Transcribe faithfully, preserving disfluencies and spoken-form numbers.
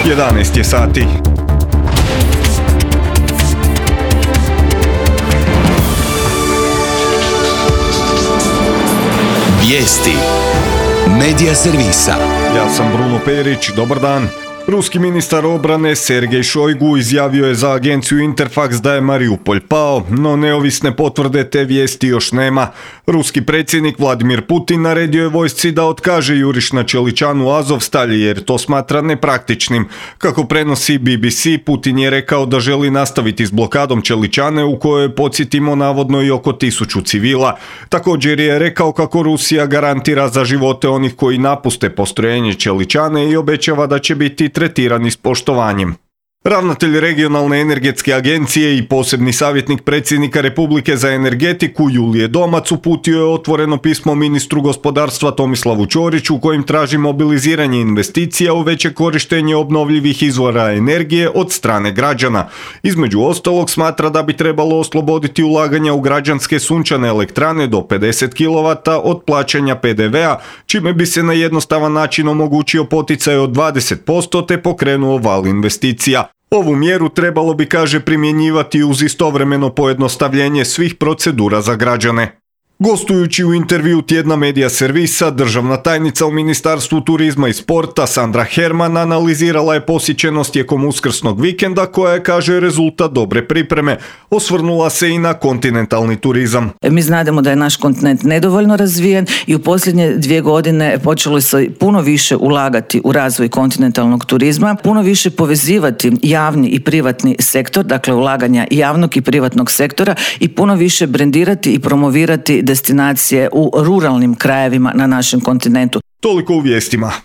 jedanaest je sati. Vijesti Medija servisa. Ja sam Bruno Perić, dobar dan. Ruski ministar obrane Sergej Šojgu izjavio je za agenciju Interfax da je Mariupolj pao, no neovisne potvrde te vijesti još nema. Ruski predsjednik Vladimir Putin naredio je vojsci da otkaže juriš na Čeličanu Azovstalj jer to smatra nepraktičnim. Kako prenosi B B C, Putin je rekao da želi nastaviti s blokadom Čeličane u kojoj, podsjetimo, navodno i oko tisuću civila. Također je rekao kako Rusija garantira za živote onih koji napuste postrojenje Čeličane i obećava da će biti tretirani s poštovanjem. Ravnatelj regionalne energetske agencije i posebni savjetnik predsjednika Republike za energetiku Julije Domac uputio je otvoreno pismo ministru gospodarstva Tomislavu Ćoriću kojim traži mobiliziranje investicija u veće korištenje obnovljivih izvora energije od strane građana. Između ostalog smatra da bi trebalo osloboditi ulaganja u građanske sunčane elektrane do pedeset kilovata od plaćanja P D V-a, čime bi se na jednostavan način omogućio poticaj od dvadeset posto te pokrenuo val investicija. Ovu mjeru trebalo bi, kaže, primjenjivati uz istovremeno pojednostavljenje svih procedura za građane. Gostujući u intervju tjedna Medija servisa, državna tajnica u Ministarstvu turizma i sporta Sandra Herman analizirala je posjećenost tijekom uskrsnog vikenda koja je, kaže, rezultat dobre pripreme. Osvrnula se i na kontinentalni turizam. Mi znademo da je naš kontinent nedovoljno razvijen i u posljednje dvije godine počelo se puno više ulagati u razvoj kontinentalnog turizma, puno više povezivati javni i privatni sektor, dakle ulaganja javnog i privatnog sektora, i puno više brendirati i promovirati destinacije u ruralnim krajevima na našem kontinentu. Toliko u vijestima.